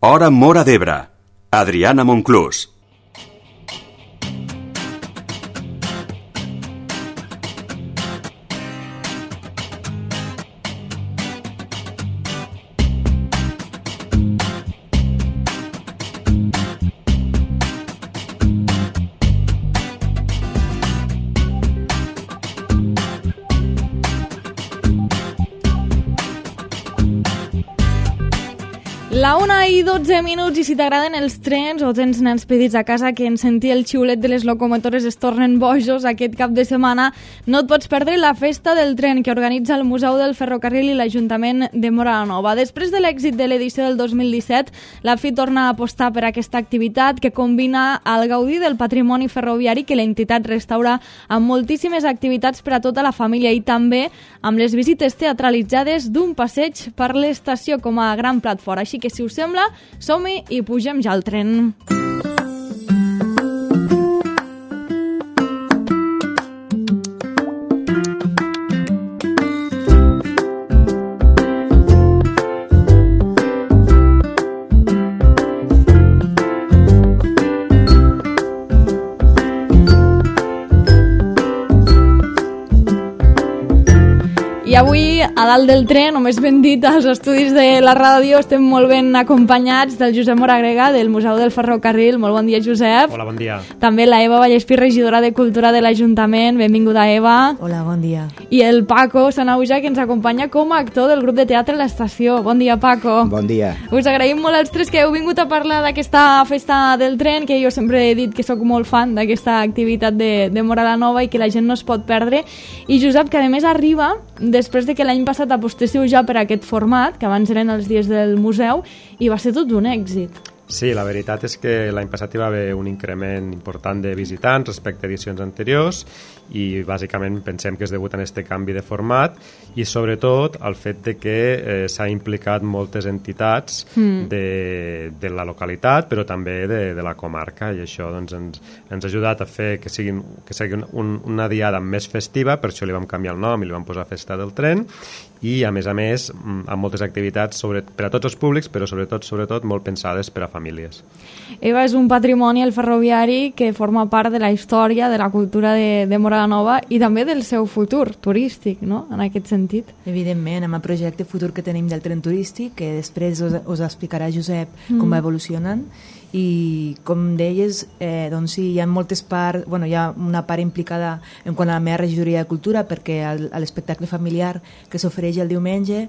Hora Móra d'Ebre. Adriana Monclús. La 1:12, i si t'agraden els trens o tens nens petits a casa que en sentir el xiulet de les locomotores es tornen bojos aquest cap de setmana, no et pots perdre la festa del tren que organitza el Museu del Ferrocarril i l'Ajuntament de Móra la Nova. Després de l'èxit de l'edició del 2017, la FIT torna a apostar per aquesta activitat que combina el gaudir del patrimoni ferroviari que l'entitat restaura amb moltíssimes activitats per a tota la família i també amb les visites teatralitzades d'un passeig per l'estació com a gran plat fort. Així que, si us sembla, som-hi i pugem ja al tren. I avui, a dalt del tren, o més ben dit, als estudis de la ràdio, estem molt ben acompanyats del Josep Moragrega, del Museu del Ferrocarril. Molt bon dia, Josep. Hola, bon dia. També la Eva Vallespí, regidora de Cultura de l'Ajuntament. Benvinguda, Eva. Hola, bon dia. I el Paco Sanauja, que ens acompanya com a actor del grup de teatre L'Estació. Bon dia, Paco. Bon dia. Us agraïm molt als tres que heu vingut a parlar d'aquesta festa del tren, que jo sempre he dit que sóc molt fan d'aquesta activitat de Móra la Nova i que la gent no es pot perdre. I Josep, que a més arriba després de que l'any passat apostéssiu ja per aquest format, que abans eren els dies del museu, i va ser tot un èxit. Sí, la veritat és que l'any passat hi va haver un increment important de visitants respecte a edicions anteriors i bàsicament pensem que és degut a aquest canvi de format i sobretot al fet de que s'ha implicat moltes entitats de la localitat però també de la comarca i això doncs, ens ha ajudat a fer que sigui una diada més festiva, per això li vam canviar el nom i li vam posar Festa del Tren i a més amb moltes activitats per a tots els públics però sobretot molt pensades per a famílies. Eva, és un patrimoni, el ferroviari, que forma part de la història, de la cultura de Móra la Nova i també del seu futur turístic, no?, en aquest sentit. Evidentment, amb el projecte futur que tenim del tren turístic, que després us explicarà Josep com va evolucionant, i com deies, doncs sí, hi ha moltes parts, hi ha una part implicada en quant a la meva regidoria de cultura perquè l'espectacle familiar que s'ofereix el diumenge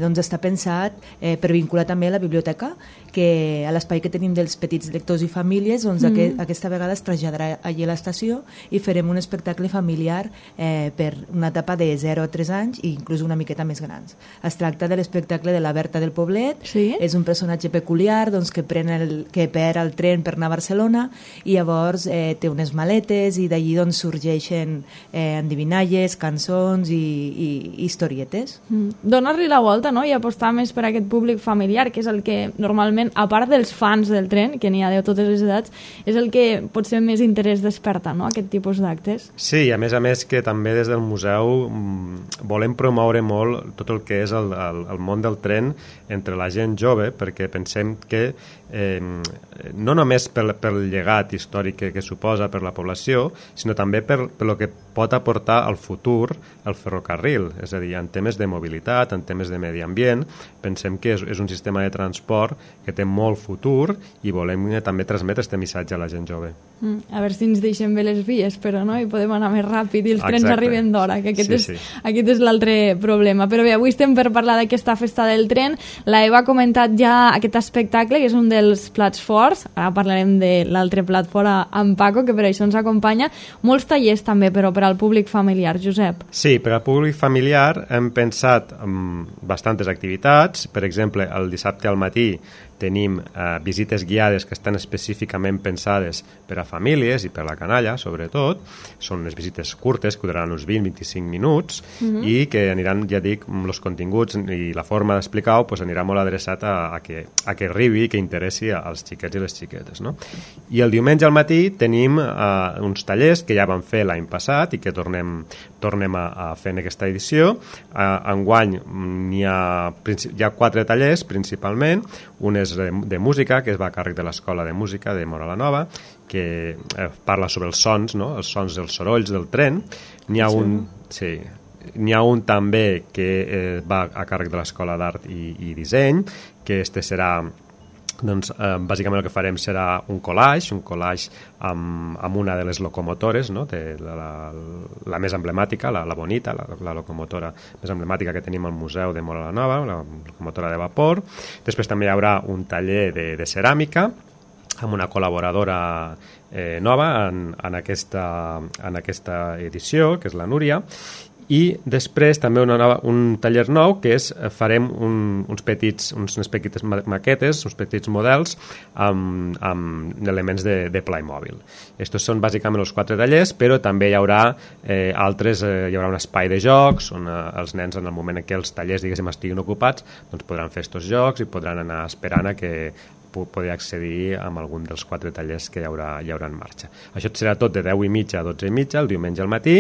doncs està pensat per vincular també la biblioteca, que a l'espai que tenim dels petits lectors i famílies, doncs aquesta vegada es traslladarà allí a l'estació i farem un espectacle familiar per una etapa de 0 a 3 anys i inclús una miqueta més grans. Es tracta de l'espectacle de la Berta del Poblet, és un personatge peculiar doncs, que perd el tren per anar a Barcelona i llavors té unes maletes i d'allí doncs, sorgeixen endivinalles, cançons i historietes. Donar-li la volta, no?, i apostar més per aquest públic familiar, que és el que normalment, a part dels fans del tren, que n'hi ha de totes les edats, és el que potser més interès desperta, no?, aquest tipus d'actes. Sí, a més que també des del museu volem promoure molt tot el que és el món del tren entre la gent jove, perquè pensem que no només pel llegat històric que suposa per la població, sinó també per el que pot aportar al futur el ferrocarril, és a dir, en temes de mobilitat, en temes de medi ambient, pensem que és un sistema de transport que té molt futur i volem també transmetre aquest missatge a la gent jove. A veure si ens deixen bé les vies, però no, i podem anar més ràpid i els trens arriben d'hora, que aquest és l'altre problema. Però bé, avui estem per parlar d'aquesta festa del tren. La Eva ha comentat ja aquest espectacle, que és un dels plats forts. Ara parlarem de l'altre plat fort amb Paco, que per això ens acompanya. Molts tallers també, però per al públic familiar, Josep. Sí, per al públic familiar hem pensat en bastantes activitats. Per exemple, el dissabte al matí tenim visites guiades que estan específicament pensades per a famílies i per a la canalla, sobretot. Són unes visites curtes que duraran uns 20-25 minuts i que aniran, ja dic, els continguts i la forma d'explicar-ho anirà molt adreçat a que arribi i que interessi als xiquets i les xiquetes, no? I el diumenge al matí tenim uns tallers que ja vam fer l'any passat i que tornem a fer en aquesta edició, enguany hi ha 4 tallers principalment. Un és de música, que es va a càrrec de l'Escola de Música de Móra la Nova, que parla sobre els sons, no? Els sons dels sorolls del tren. N'hi ha un també que va a càrrec de l'Escola d'Art i Disseny, que serà, doncs, bàsicament el que farem serà un collage amb una de les locomotores, no? La més emblemàtica, la Bonita, la locomotora més emblemàtica que tenim al Museu de Móra la Nova, la locomotora de vapor. Després també hi haurà un taller de ceràmica amb una col·laboradora nova en aquesta edició, que és la Núria. I després també un taller nou, que farem unes petites maquetes, uns petits models amb elements de Playmobil. Estos són bàsicament els 4 tallers, però també hi haurà altres, hi haurà un espai de jocs on els nens, en el moment en què els tallers, diguéssim, estiguin ocupats, doncs podran fer estos jocs i podran anar esperant a que poder accedir a algun dels 4 tallers que hi haurà en marxa. Això serà tot de 10:30 a 12:30, el diumenge al matí,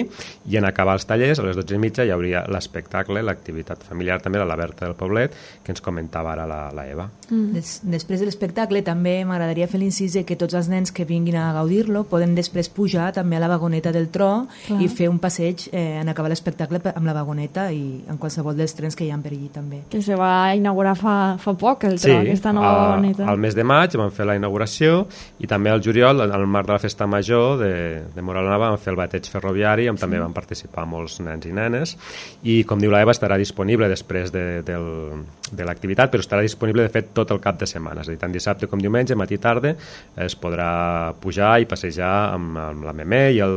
i en acabar els tallers, a les 12:30 hi hauria l'espectacle, l'activitat familiar també, la Berta del Poblet, que ens comentava ara la Eva. Després de l'espectacle també m'agradaria fer l'incís que tots els nens que vinguin a gaudir-lo poden després pujar també a la vagoneta del tro i fer un passeig en acabar l'espectacle amb la vagoneta i en qualsevol dels trens que hi ha per allí també. Que se va inaugurar fa poc el tro, aquesta nova vagoneta. Al mes de maig vam fer la inauguració i també al juliol, al marc de la festa major de Móra la Nova, vam fer el bateig ferroviari on també van participar molts nens i nenes i, com diu la Eva, estarà disponible després de l'activitat, però estarà disponible de fet tot el cap de setmana, és a dir, tant dissabte com diumenge, matí i tarda, es podrà pujar i passejar amb la Memé i el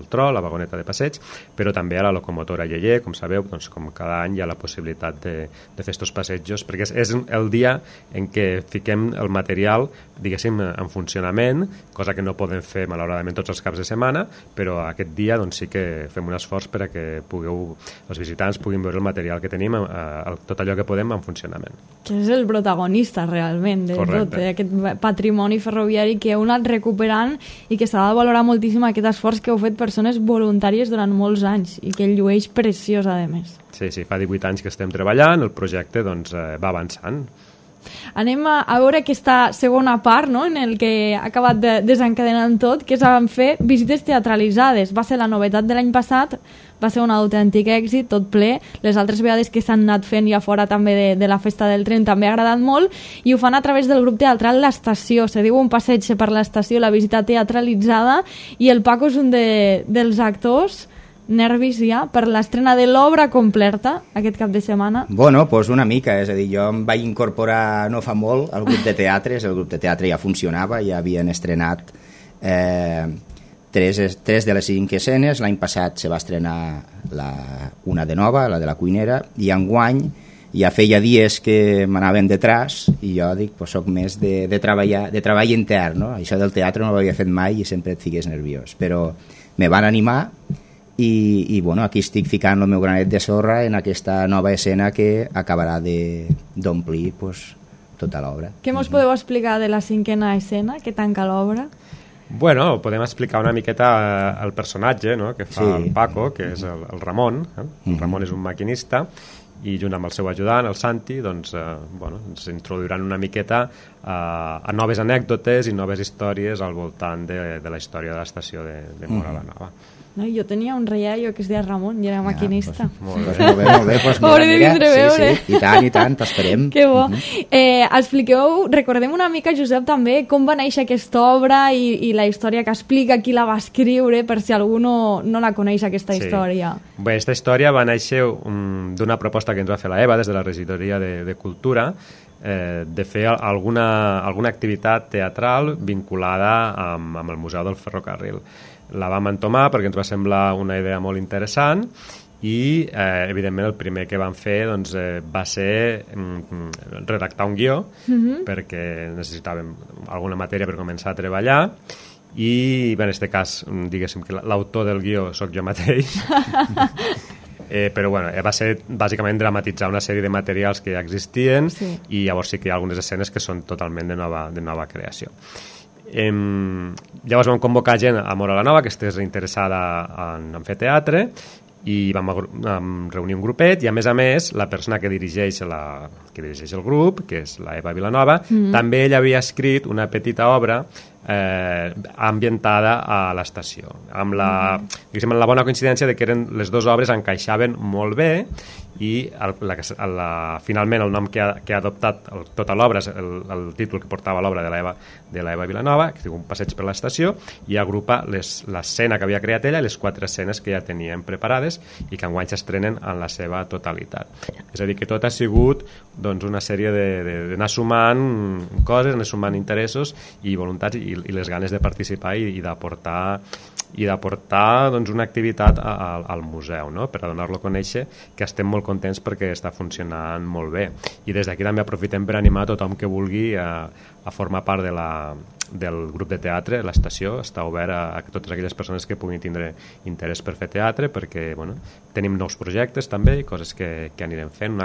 tro, la vagoneta de passeig, però també a la locomotora Lleier, com sabeu, doncs, com cada any hi ha la possibilitat de fer estos passejos, perquè és el dia en què fiquem el material, diguéssim, en funcionament, cosa que no podem fer malauradament tots els caps de setmana, però aquest dia doncs, sí que fem un esforç per a que els visitants puguin veure el material que tenim, tot allò que podem en funcionament. Que és el protagonista realment de tot, aquest patrimoni ferroviari que heu anat recuperant i que s'ha de valorar moltíssim aquest esforç que heu fet persones voluntàries durant molts anys i que el llueix preciós, a més. Sí, fa 18 anys que estem treballant, el projecte doncs, va avançant. Anem a veure aquesta segona part, no?, en el que ha acabat desencadenant tot, que van fer visites teatralitzades. Va ser la novetat de l'any passat, va ser un autèntic èxit, tot ple. Les altres vegades que s'han anat fent ja fora també de la festa del tren també ha agradat molt, i ho fan a través del grup teatral L'Estació. Se diu un passeig per l'estació, la visita teatralitzada, i el Paco és un dels actors. Nervis ja per l'estrena de l'obra completa aquest cap de setmana? Bueno, doncs una mica, és a dir, jo em vaig incorporar no fa molt al grup de teatres, el grup de teatre ja funcionava, ja havien estrenat 3 de les 5 escenes, l'any passat se va estrenar una de nova, la de la cuinera, i enguany ja feia dies que m'anaven detrás i jo dic, pues, soc més de treball intern, no? Això del teatre no ho havia fet mai i sempre et fiques nerviós, però me van animar. I bueno, aquí estic ficant el meu granet de sorra en aquesta nova escena que acabarà d'omplir tota l'obra. Què mos podeu explicar de la 5a escena que tanca l'obra? Bueno, podem explicar una miqueta el personatge, no?, que fa el Paco, que és el Ramon. El Ramon és un maquinista i junt amb el seu ajudant, el Santi, doncs, ens introduiran una miqueta a noves anècdotes i noves històries al voltant de la història de l'estació de Móra la Nova. No, jo tenia un reiallo que es deia Ramon i era maquinista. Molt bé. Hauré de vindre a veure. Sí, i tant, t'esperem. Que bo. Recordem una mica, Josep, també com va néixer aquesta obra i la història que explica, qui la va escriure, per si algú no la coneix, aquesta història. Bé, aquesta història va néixer d'una proposta que ens va fer la Eva des de la regidoria de Cultura, de fer alguna activitat teatral vinculada amb el Museu del Ferrocarril. La vam entomar perquè ens va semblar una idea molt interessant i, evidentment, el primer que vam fer va ser redactar un guió perquè necessitàvem alguna matèria per començar a treballar i, en aquest cas, diguéssim que l'autor del guió sóc jo mateix. Però va ser bàsicament dramatitzar una sèrie de materials que ja existien i llavors sí que hi ha algunes escenes que són totalment de nova creació. Llavors vam convocar gent a Móra la Nova que estigués interessada en fer teatre i vam reunir un grupet i a més la persona que dirigeix el grup, que és la Eva Vilanova, també ella havia escrit una petita obra ambientada a l'estació, amb la bona coincidència de que les dues obres encaixaven molt bé i finalment el nom que ha adoptat tota l'obra és el títol que portava l'obra de l'Eva Vilanova, que es diu Un passeig per l'estació, i agrupa l'escena que havia creat ella i les 4 escenes que ja teníem preparades i que enguany s'estrenen en la seva totalitat. És a dir, que tot ha sigut una sèrie d'anar sumant coses, anar sumant interessos i voluntats i les ganes de participar i d'aportar una activitat al museu, no? Per a donar-lo a conèixer, que estem molt contents perquè està funcionant molt bé. I des d'aquí també aprofitem per animar tothom que vulgui a formar part del grup de teatre. L'estació està obert a totes aquelles persones que puguin tindre interès per fer teatre, perquè tenim nous projectes també i coses que anirem fent,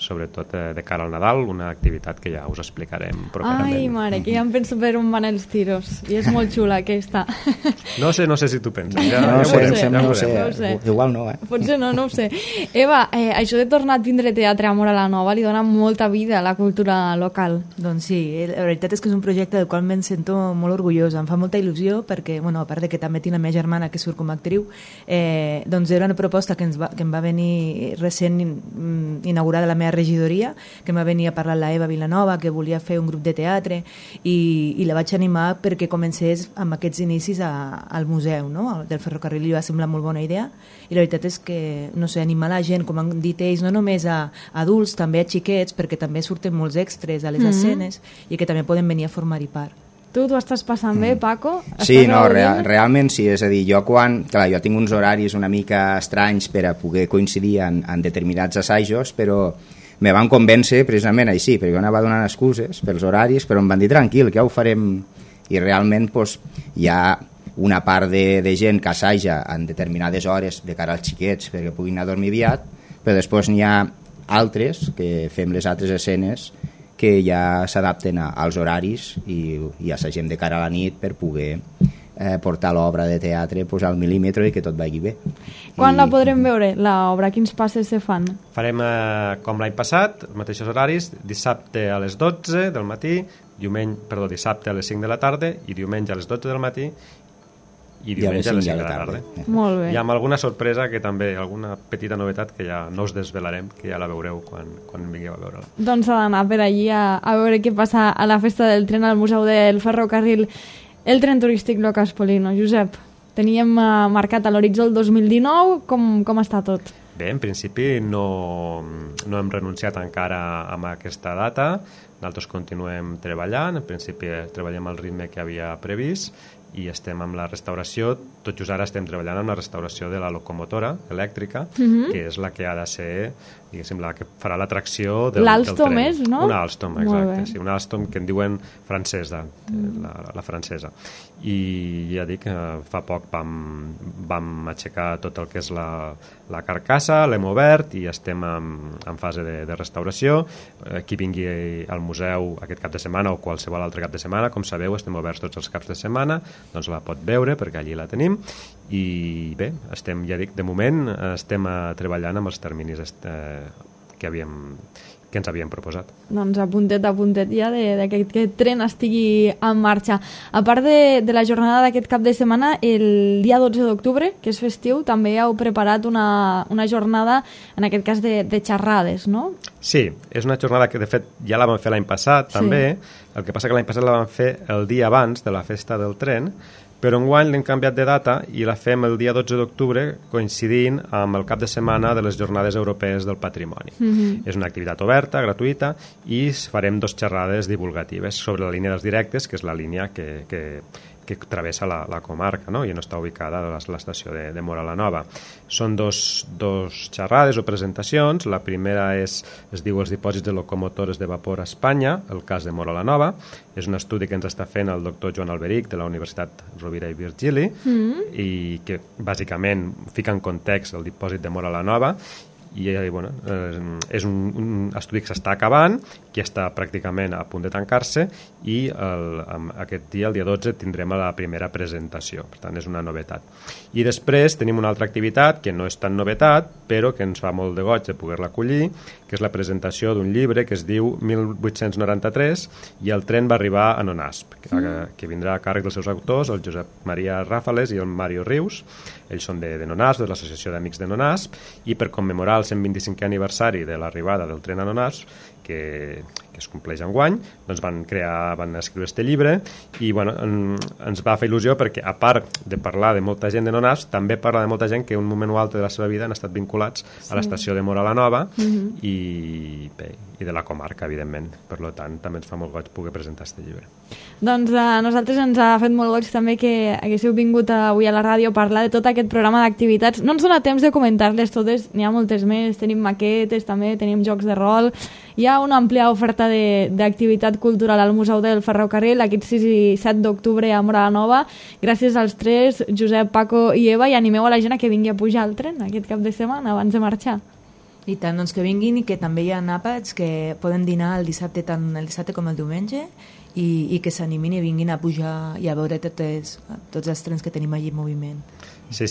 sobretot de cara al Nadal, una activitat que ja us explicarem properament. Ai, mare, que ja em penso per on van els tiros, i és molt xula aquesta. No sé si tu penses. No sé. Igual no, Potser no ho sé. Eva, això de tornar a tindre teatre a Móra la Nova li dona molta vida a la cultura local. Doncs sí, la veritat és que és un projecte del qual me'n sento molt orgullosa, em fa molta il·lusió perquè, a part de que també tinc la meva germana que surt com a actriu, doncs era una proposta que em va venir recent inaugurada la meva regidoria, que em va venir a parlar la Eva Vilanova, que volia fer un grup de teatre i la vaig animar perquè comencés amb aquests inicis al museu, no? Del ferrocarril, li va semblar molt bona idea i la veritat és que, animar la gent, com han dit ells, no només a adults, també a xiquets, perquè també surten molts extras a les escenes i que també poden venir a formar-hi part. Tu t'ho estàs passant bé, Paco? Sí, realment sí, és a dir, jo tinc uns horaris una mica estranys per a poder coincidir en determinats assajos, però me van convèncer precisament així, perquè jo anava donant excuses pels horaris, però em van dir tranquil, que ja ho farem, i realment hi ha una part de gent que assaja en determinades hores de cara als xiquets perquè puguin anar a dormir aviat, però després n'hi ha altres que fem les altres escenes que ja s'adapten als horaris i assagem de cara a la nit per poder portar l'obra de teatre al mil·límetre i que tot vagi bé. Quan la podrem veure, l'obra? Quins passes se fan? Farem com l'any passat, els mateixos horaris, dissabte a les 12 del matí, dissabte a les 5 de la tarda i diumenge a les 12 del matí i diumenge a les 5 de la tarda. Molt bé. I amb alguna sorpresa, que també, alguna petita novetat que ja no us desvelarem, que ja la veureu quan vingueu a veure-la. Doncs s'ha d'anar per allí a veure què passa a la festa del tren al Museu del Ferrocarril, el tren turístic Locas Polino. Josep, teníem marcat a l'horitzó el 2019, com està tot? Bé, en principi no hem renunciat encara a aquesta data, nosaltres continuem treballant, en principi treballem al ritme que havia previst i estem amb la restauració, tot just ara estem treballant amb la restauració de la locomotora elèctrica, que és la que ha de ser, diguéssim, la que farà l'atracció del tren. L'Alstom és, no? Una Alstom, exacte, sí, una Alstom que en diuen francesa, la francesa. I ja dic, fa poc vam aixecar tot el que és la carcassa, l'hem obert i estem en fase de restauració. Qui vingui al museu aquest cap de setmana o qualsevol altre cap de setmana, com sabeu, estem oberts tots els caps de setmana, doncs la pot veure perquè allí la tenim i bé, estem, ja dic, de moment estem treballant amb els terminis que ens havíem proposat. Doncs a puntet ja que aquest tren estigui en marxa. A part de la jornada d'aquest cap de setmana, el dia 12 d'octubre, que és festiu, també heu preparat una jornada, en aquest cas de xerrades, no? Sí, és una jornada que de fet ja la vam fer l'any passat també, el que passa que l'any passat la vam fer el dia abans de la festa del tren, però enguany l'hem canviat de data i la fem el dia 12 d'octubre coincidint amb el cap de setmana de les Jornades Europees del Patrimoni. És una activitat oberta, gratuïta, i farem 2 xerrades divulgatives sobre la línia dels directes, que és la línia que travessa la comarca, no? I no està ubicada a l'estació de Móra la Nova. Són dos xerrades o presentacions. La primera es diu Els dipòsits de locomotores de vapor a Espanya, el cas de Móra la Nova. És un estudi que ens està fent el doctor Joan Alberic de la Universitat Rovira i Virgili i que bàsicament fica en context el dipòsit de Móra la Nova i bueno, és un estudi que s'està acabant, que està pràcticament a punt de tancar-se, i aquest dia, el dia 12, tindrem la primera presentació, per tant és una novetat. I després tenim una altra activitat que no és tan novetat, però que ens fa molt de goig de poder-la acollir, que és la presentació d'un llibre que es diu 1893 i el tren va arribar a Nonasp, que vindrà a càrrec dels seus autors, el Josep Maria Ràfales i el Mario Rius. Ells són de Nonasp, de l'Associació d'Amics de Nonasp, i per commemorar el 125è aniversari de l'arribada del tren a Nonasp, que es compleix enguany, doncs van escriure este llibre, i bueno, ens va fer il·lusió perquè, a part de parlar de molta gent de Nonasp, també parla de molta gent que un moment o altre de la seva vida han estat vinculats a l'estació de Móra la Nova i de la comarca, evidentment. Per tant, també ens fa molt goig poder presentar este llibre. Doncs a nosaltres ens ha fet molt goig també que haguéssiu vingut avui a la ràdio a parlar de tot aquest programa d'activitats. No ens dona temps de comentar-les totes, n'hi ha moltes més, tenim maquetes també, tenim jocs de rol, hi ha una àmplia oferta d'activitat cultural al Museu del Ferrocarril aquest 6 i 7 d'octubre a Móra la Nova. Gràcies als tres, Josep, Paco i Eva, i animeu a la gent a que vingui a pujar al tren aquest cap de setmana abans de marxar. I tant, doncs que vinguin, i que també hi ha àpats que poden dinar el dissabte, tant el dissabte com el diumenge, i que s'animin i vinguin a pujar i a veure tots els trens que tenim allí en moviment. Sí,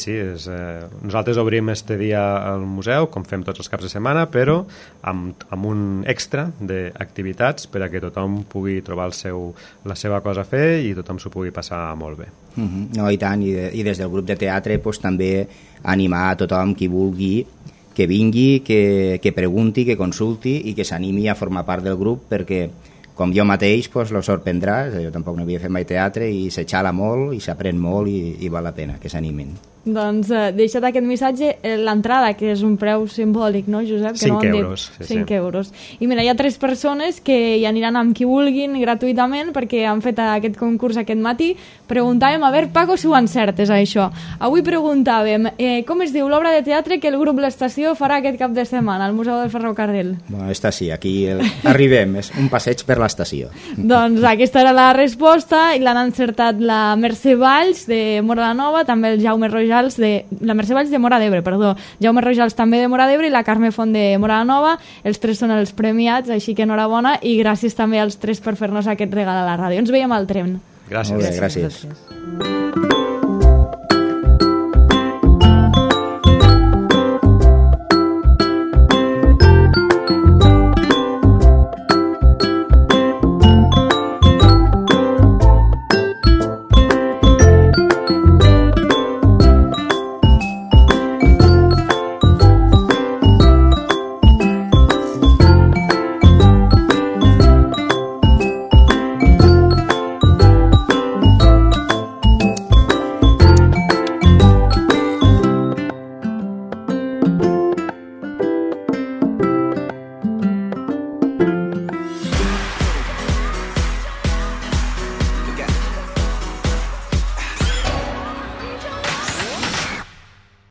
nosaltres obrim este dia al museu, com fem tots els caps de setmana, però amb un extra d'activitats per a que tothom pugui trobar la seva cosa a fer i tothom s'ho pugui passar molt bé. No, i tant, i des del grup de teatre també animar a tothom qui vulgui que vingui, que pregunti, que consulti i que s'animi a formar part del grup, perquè com jo mateix lo sorprendrà, jo tampoc no havia fet mai teatre i s'exhala molt i s'aprèn molt i val la pena que s'animin. Doncs deixa't aquest missatge, l'entrada, que és un preu simbòlic, no, Josep? Que 5 euros. Sí, 5 euros. I mira, hi ha 3 persones que hi aniran amb qui vulguin gratuïtament perquè han fet aquest concurs aquest matí. Preguntàvem, a veure, Paco, si ho encertes, això. Avui preguntàvem, com es diu l'obra de teatre que el grup L'Estació farà aquest cap de setmana al Museu del Ferrocarril? Bueno, està sí, aquí arribem, és un passeig per l'estació. Doncs aquesta era la resposta i l'han encertat la Mercè Valls de Móra la Nova, també el Jaume Rojals la Mercè Valls de Móra d'Ebre, perdó, Jaume Rojals també de Móra d'Ebre i la Carme Font de Móra la Nova. Els 3 són els premiats, així que enhorabona, i gràcies també als 3 per fer-nos aquest regal a la ràdio. Ens veiem al tren. Gràcies. Molt bé, gràcies.